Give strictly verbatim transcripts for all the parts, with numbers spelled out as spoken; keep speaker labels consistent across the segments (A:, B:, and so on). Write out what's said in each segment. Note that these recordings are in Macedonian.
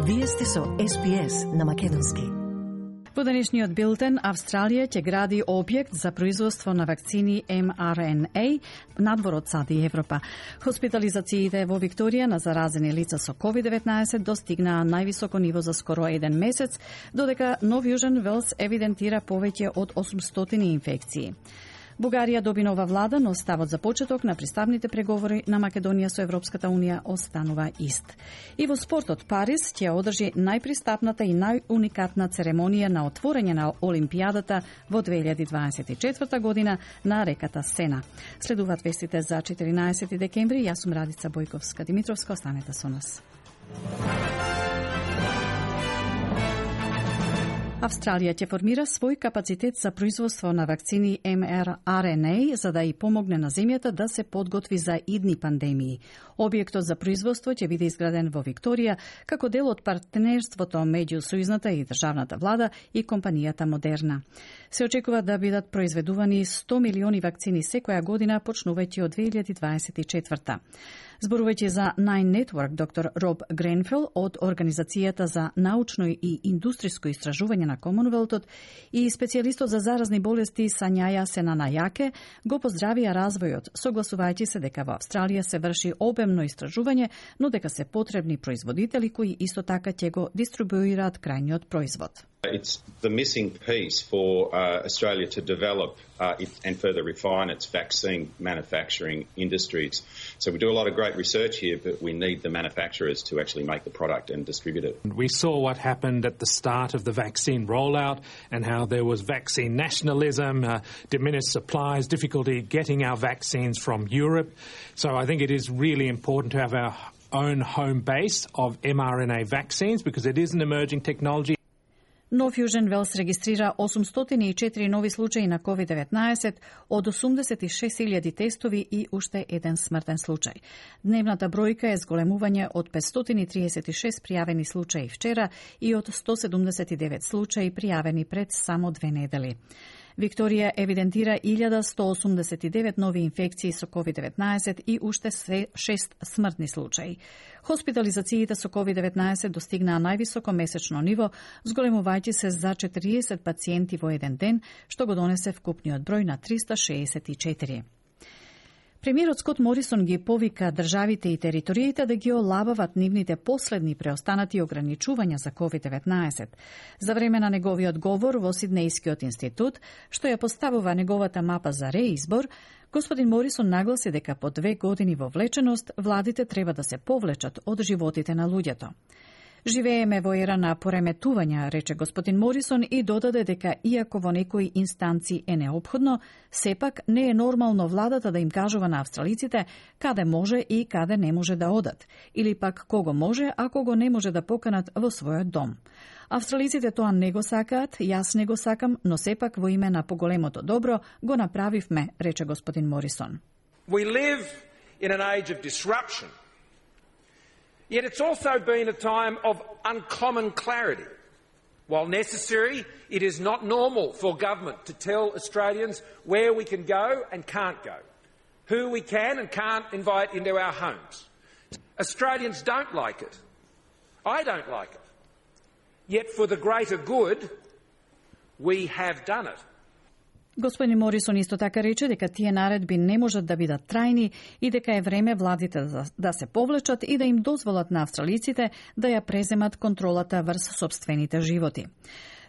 A: Вие сте со Ес Би Ес на македонски.
B: Во денешниот билтен, Австралија ќе гради објект за производство на вакцини Ем Ар Ен Ей надвор од САД и Европа. Хоспитализациите во Викторија на заразени лица со ковид деветнаесет достигнаа највисоко ниво за скоро еден месец, додека Нов Јужен Велс евидентира повеќе од осумстотини инфекции. Бугарија доби нова влада, но ставот за почеток на приставните преговори на Македонија со Европската Унија останува ист. И во спортот, Париз ќе одржи најпристапната и најуникатна церемонија на отворање на Олимпијадата во две илјади дваесет и четврта година на реката Сена. Следуваат вестите за четиринаесети декември. Јас сум Радица Бојковска Димитровска, останете со нас. Австралија ќе формира свој капацитет за производство на вакцини Ем Ар Ен Ей за да и помогне на земјата да се подготви за идни пандемии. Објектот за производство ќе биде изграден во Викторија како дел од партнерството меѓу сојузната и државната влада и компанијата Модерна. Се очекува да бидат произведувани сто милиони вакцини секоја година почнувајќи од две илјади дваесет и четврта. Зборувајќи за Nine Network, доктор Роб Гренфел од Организацијата за научно и индустријско истражување на Комонвелтот и специјалистот за заразни болести Сањаја Сенанајаке го поздравија развојот, согласувајќи се дека во Австралија се врши обемно истражување, но дека се потребни производители кои исто така ќе го дистрибуираат крајниот производ.
C: It's the missing piece for uh, Australia to develop uh, it and further refine its vaccine manufacturing industries. So we do a lot of great research here, but we need the manufacturers to actually make the product and distribute it.
D: We saw what happened at the start of the vaccine rollout and how there was vaccine nationalism, uh, diminished supplies, difficulty getting our vaccines from Europe. So I think it is really important to have our own home base of Em Ар Ен Ей vaccines because it is an emerging technology.
B: Нов Јужен Велс регистрира осумстотини и четири нови случаи на ковид деветнаесет од осумдесет и шест илјади тестови и уште еден смртен случај. Дневната бројка е зголемување од петстотини триесет и шест пријавени случаи вчера и од сто седумдесет и девет случаи пријавени пред само две недели. Викторија евидентира илјада сто осумдесет и девет нови инфекции со ковид деветнаесет и уште шест смртни случаи. Хоспитализациите со ковид деветнаесет достигнаа највисоко месечно ниво, зголемувајќи се за четириесет пациенти во еден ден, што го донесе вкупниот број на триста шеесет и четири. Премиерот Скот Морисон ги повика државите и териториите да ги олабават нивните последни преостанати ограничувања за ковид деветнаесет. За време на неговиот говор во Сиднејскиот институт, што ја поставува неговата мапа за реизбор, господин Морисон нагласи дека по две години во влеченост владите треба да се повлечат од животите на луѓето. Живееме во ера на пореметувања, рече господин Морисон и додаде дека иако во некои инстанции е неопходно, сепак не е нормално владата да им кажува на австралиците каде може и каде не може да одат, или пак кого може, а кого не може да поканат во својот дом. Австралиците тоа не го сакаат, јас не го сакам, но сепак во име на поголемото добро го направивме, рече господин Морисон.
E: We live in an age of disruption. Yet it's also been a time of uncommon clarity. While necessary, it is not normal for government to tell Australians where we can go and can't go, who we can and can't invite into our homes. Australians don't like it. I don't like it. Yet for the greater good, we have done it.
B: Господин Морисон исто така рече дека тие наредби не можат да бидат трајни и дека е време владите да се повлечат и да им дозволат на австралиците да ја преземат контролата врз сопствените животи.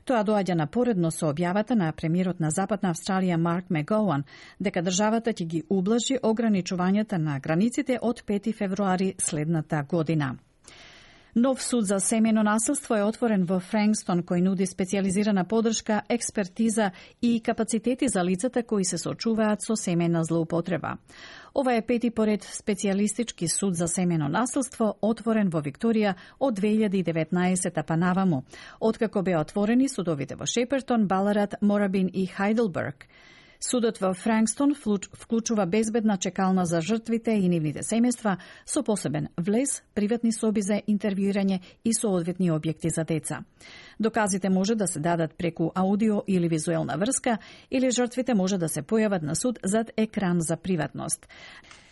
B: Тоа доаѓа напоредно со објавата на премиерот на Западна Австралија Марк Мегоуан дека државата ќе ги ублажи ограничувањата на границите од пети февруари следната година. Нов суд за семејно насилство е отворен во Франкстон, кој нуди специјализирана подршка, експертиза и капацитети за лицата кои се соочуваат со семејна злоупотреба. Ова е пети поред специјалистички суд за семејно насилство, отворен во Викторија од две илјади и деветнаесета па наваму, откако беа отворени судовите во Шепертон, Баларат, Морабин и Хајделберг. Судот во Франкстон вклучува безбедна чекална за жртвите и нивните семејства со посебен влез, приватни соби за интервјуирање и соодветни објекти за деца. Доказите може да се дадат преку аудио или визуелна врска или жртвите може да се појават на суд зад екран за приватност.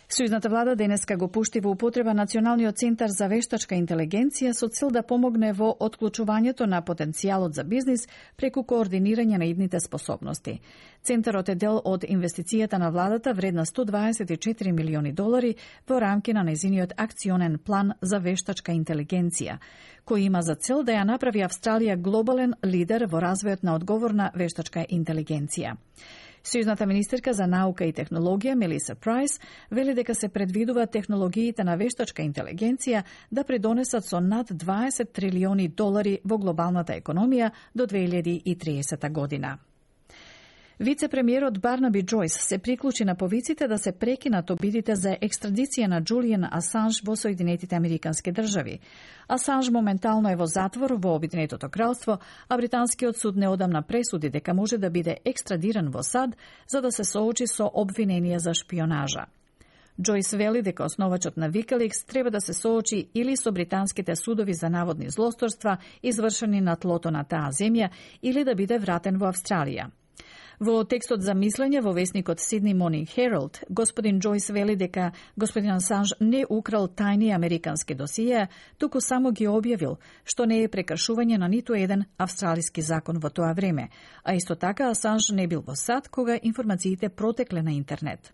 B: Сојузната влада денеска го пушти во употреба Националниот центар за вештачка интелигенција со цел да помогне во отклучувањето на потенцијалот за бизнис преку координирање на идните способности. Центарот е дел од инвестицијата на владата вредна сто дваесет и четири милиони долари во рамки на нејзиниот акционен план за вештачка интелигенција, кој има за цел да ја направи Австралија глобален лидер во развојот на одговорна вештачка интелигенција. Сојузната министерка за наука и технологија Мелиса Прайс вели дека се предвидува технологиите на вештачка интелигенција да придонесат со над дваесет трилиони долари во глобалната економија до две илјади и триесета година. Вице-премиерот Барнаби Џојс се приклучи на повиците да се прекинат обидите за екстрадиција на Џулијан Асанж во Соединетите Американски држави. Асанж моментално е во затвор во Обединетото кралство, а британскиот суд неодамна пресуди дека може да биде екстрадиран во САД за да се соочи со обвиненија за шпионажа. Џојс вели дека основачот на Викаликс треба да се соочи или со британските судови за наводни злосторства извршени на тлото на таа земја, или да биде вратен во Австралија. Во текстот за мислење во весникот Sydney Morning Herald, господин Џојс вели дека господин Асанж не украл тајни американски досиеа, туку само ги објавил, што не е прекршување на ниту еден австралиски закон во тоа време, а исто така Асанж не бил во САД кога информациите протекле на интернет.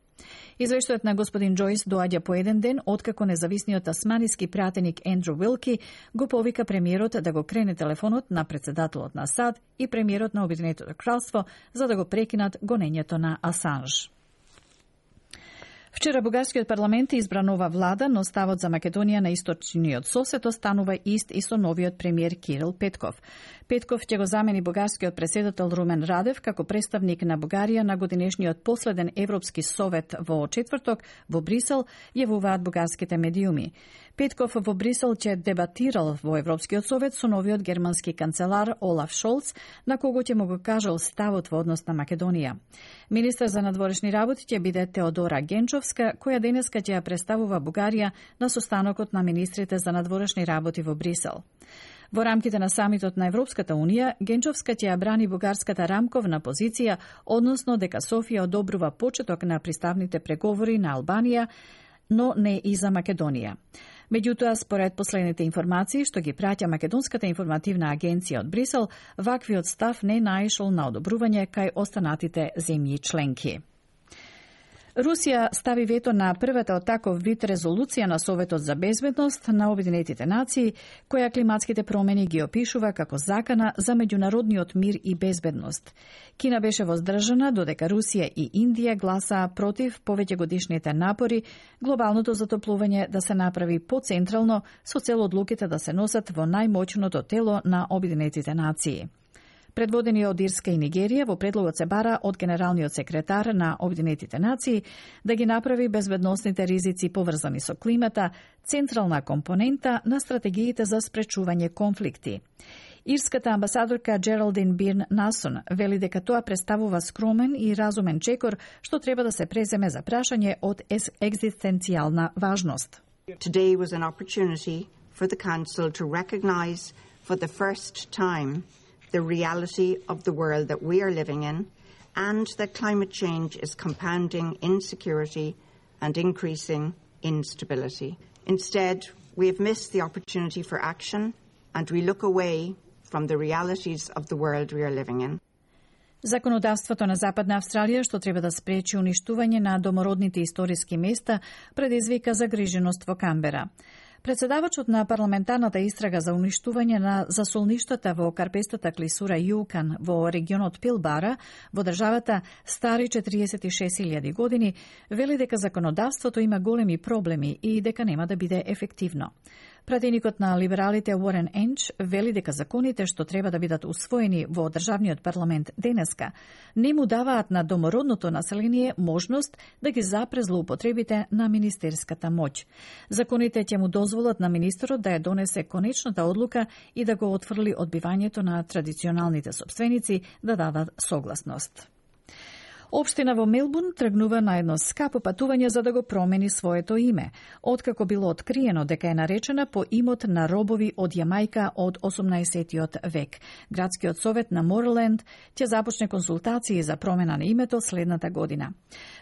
B: Извештајот на господин Џојс доаѓа по еден ден откако независниот тасманиски пратеник Ендру Уилки го повика премиерот да го крене телефонот на председателот на САД и премиерот на Обединетото кралство за да го прекинат гонењето на Асанж. Вчера бугарскиот парламент избра нова влада, но ставот за Македонија на источниот сосед останува ист и со новиот премиер Кирил Петков. Петков ќе го замени бугарскиот претседател Румен Радев како представник на Бугарија на годинешниот последен Европски совет во четврток во Брисел, јавуваат бугарските медиуми. Петков во Брисел ќе дебатирал во Европскиот совет со новиот германски канцелар Олаф Шолц, на кого ќе му го кажал ставот во однос на Македонија. Министер за надворешни работи ќе биде Теодора Генчовска, која денеска ќе ја представува Бугарија на состанокот на министрите за надворешни работи во Брисел. Во рамките на самитот на Европската Унија, Генчовска ќе ја брани бугарската рамковна позиција, односно дека Софија одобрува почеток на приставните преговори на Албанија, но не и за Македонија. Меѓутоа, според последните информации што ги праќа Македонската информативна агенција од Брисел, ваквиот став не наишол на одобрување кај останатите земји членки. Русија стави вето на првата од таков вид резолуција на Советот за безбедност на Обединетите нации, која климатските промени ги опишува како закана за меѓународниот мир и безбедност. Кина беше воздржана, додека Русија и Индија гласаа против повеќегодишните напори глобалното затоплување да се направи поцентрално со цел одлуките да се носат во најмоćното тело на Обединетите нации. Предводени од Ирска и Нигерија, во предлогот се бара од генералниот секретар на Обединетите нации да ги направи безбедносните ризици поврзани со климата централна компонента на стратегиите за спречување конфликти. Ирската амбасадорка Джералдин Бирн Насон вели дека тоа представува скромен и разумен чекор што треба да се преземе за прашање од екзистенцијална важност.
F: Today was an opportunity for the Council to recognise for the first time the reality of the world that we are living in, and that climate change is compounding insecurity and increasing instability. Instead, we have missed the opportunity for action, and we look away from the realities of the world we are living in.
B: Законодавството на Западна Австралија, што треба да спречи уништување на домородните историски места, предизвика загриженост во Камбера. Председавачот на парламентарната истрага за уништување на засолништата во карпестата клисура Јукан во регионот Пилбара, во државата стари четириесет и шест илјади години, вели дека законодавството има големи проблеми и дека нема да биде ефективно. Пратеникот на либералите Уорен Енч вели дека законите што треба да бидат усвоени во државниот парламент денеска не му даваат на домородното население можност да ги запре злоупотребите на министерската моќ. Законите ќе му дозволат на министерот да ја донесе конечната одлука и да го отфрли одбивањето на традиционалните сопственици да дадат согласност. Општина во Мелбурн тргнува на едно скапо патување за да го промени своето име, откако било откриено дека е наречена по имот на робови од Јамајка од осумнаесеттиот век. Градскиот совет на Мореленд ќе започне консултации за промена на името следната година.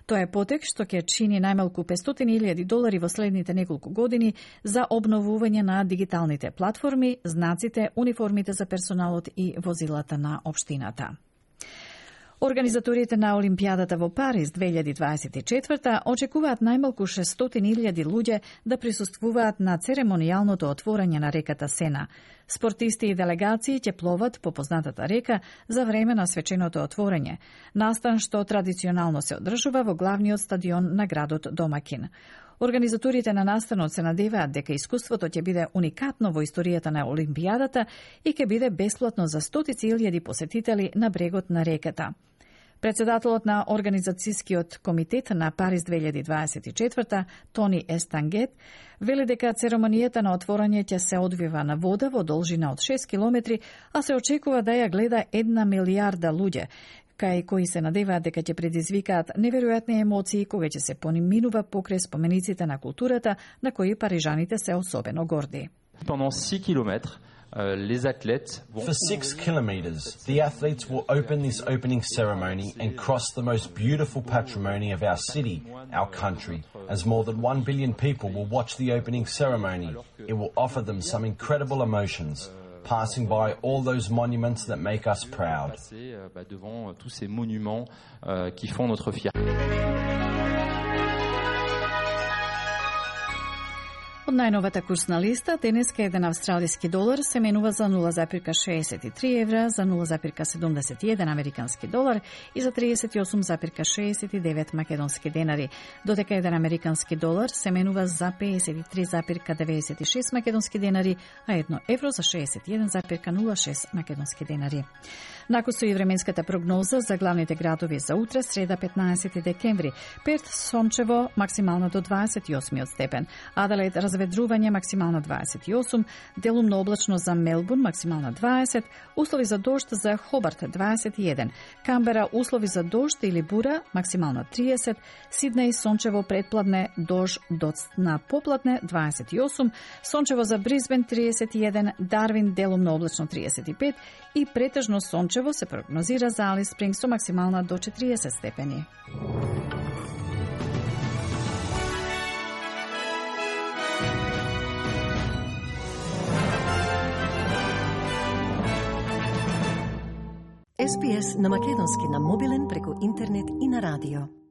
B: Тоа е потек што ќе чини најмалку петстотини илјади долари во следните неколку години за обновување на дигиталните платформи, знаците, униформите за персоналот и возилата на општината. Организаторите на Олимпијадата во Париз две илјади дваесет и четврта очекуваат најмалку шестстотини илјади луѓе да присуствуваат на церемонијалното отворање на реката Сена. Спортисти и делегации ќе пловат по познатата река за време на свеченото отворање, настан што традиционално се одржува во главниот стадион на градот домакин. Организаторите на настанот се надеваат дека искуството ќе биде уникатно во историјата на Олимпијадата и ќе биде бесплатно за стотици илјади посетители на брегот на реката. Председателот на Организацијскиот комитет на Париз две илјади дваесет и четврта, Тони Естангет, вели дека церемонијата на отворање ќе се одвива на вода во должина од шест километри, а се очекува да ја гледа една милијарда луѓе, кај кои се надеваат дека ќе предизвикаат неверојатни емоции кога ќе се поминува покрај спомениците на културата на кои парижаните се особено горди.
G: Pendant six kilomètres, Uh, les athlètes vont...
H: For six kilometres, the athletes will open this opening ceremony and cross the most beautiful patrimony of our city, our country, as more than one billion people will watch the opening ceremony. It will offer them some incredible emotions, passing by all those monuments that make us proud.
G: Devant tous ces monuments uh, qui font notre fierté.
B: Од најновата курсна листа, денеска еден австралиски долар се менува за нула запирка шеесет и три евра, за нула запирка седумдесет и еден американски долар и за триесет и осум запирка шеесет и девет македонски денари, додека еден американски долар се менува за пеесет и три запирка деветдесет и шест македонски денари, а едно евро за шеесет и еден запирка нула шест македонски денари. Накусо и временската прогноза за главните градови за утре, среда петнаесети декември. Перт сончево, максимално до дваесет и осми степен. Аделаид разведрување, максимално дваесет и осум. Делумно облачно за Мелбурн, максимално дваесет. Услови за дожд за Хобарт, дваесет и еден. Камбера, услови за дожд или бура, максимално триесет. Сиднеј, сончево предпладне, дожд на попладне, дваесет и осум. Сончево за Брисбен, триесет и еден. Дарвин, делумно облачно, триесет и пет. И претежно сончево се прогнозира за Алис Спрингс со максимална до четириесет степени.
A: Ес Би Ес на македонски на мобилен преку интернет и на радио.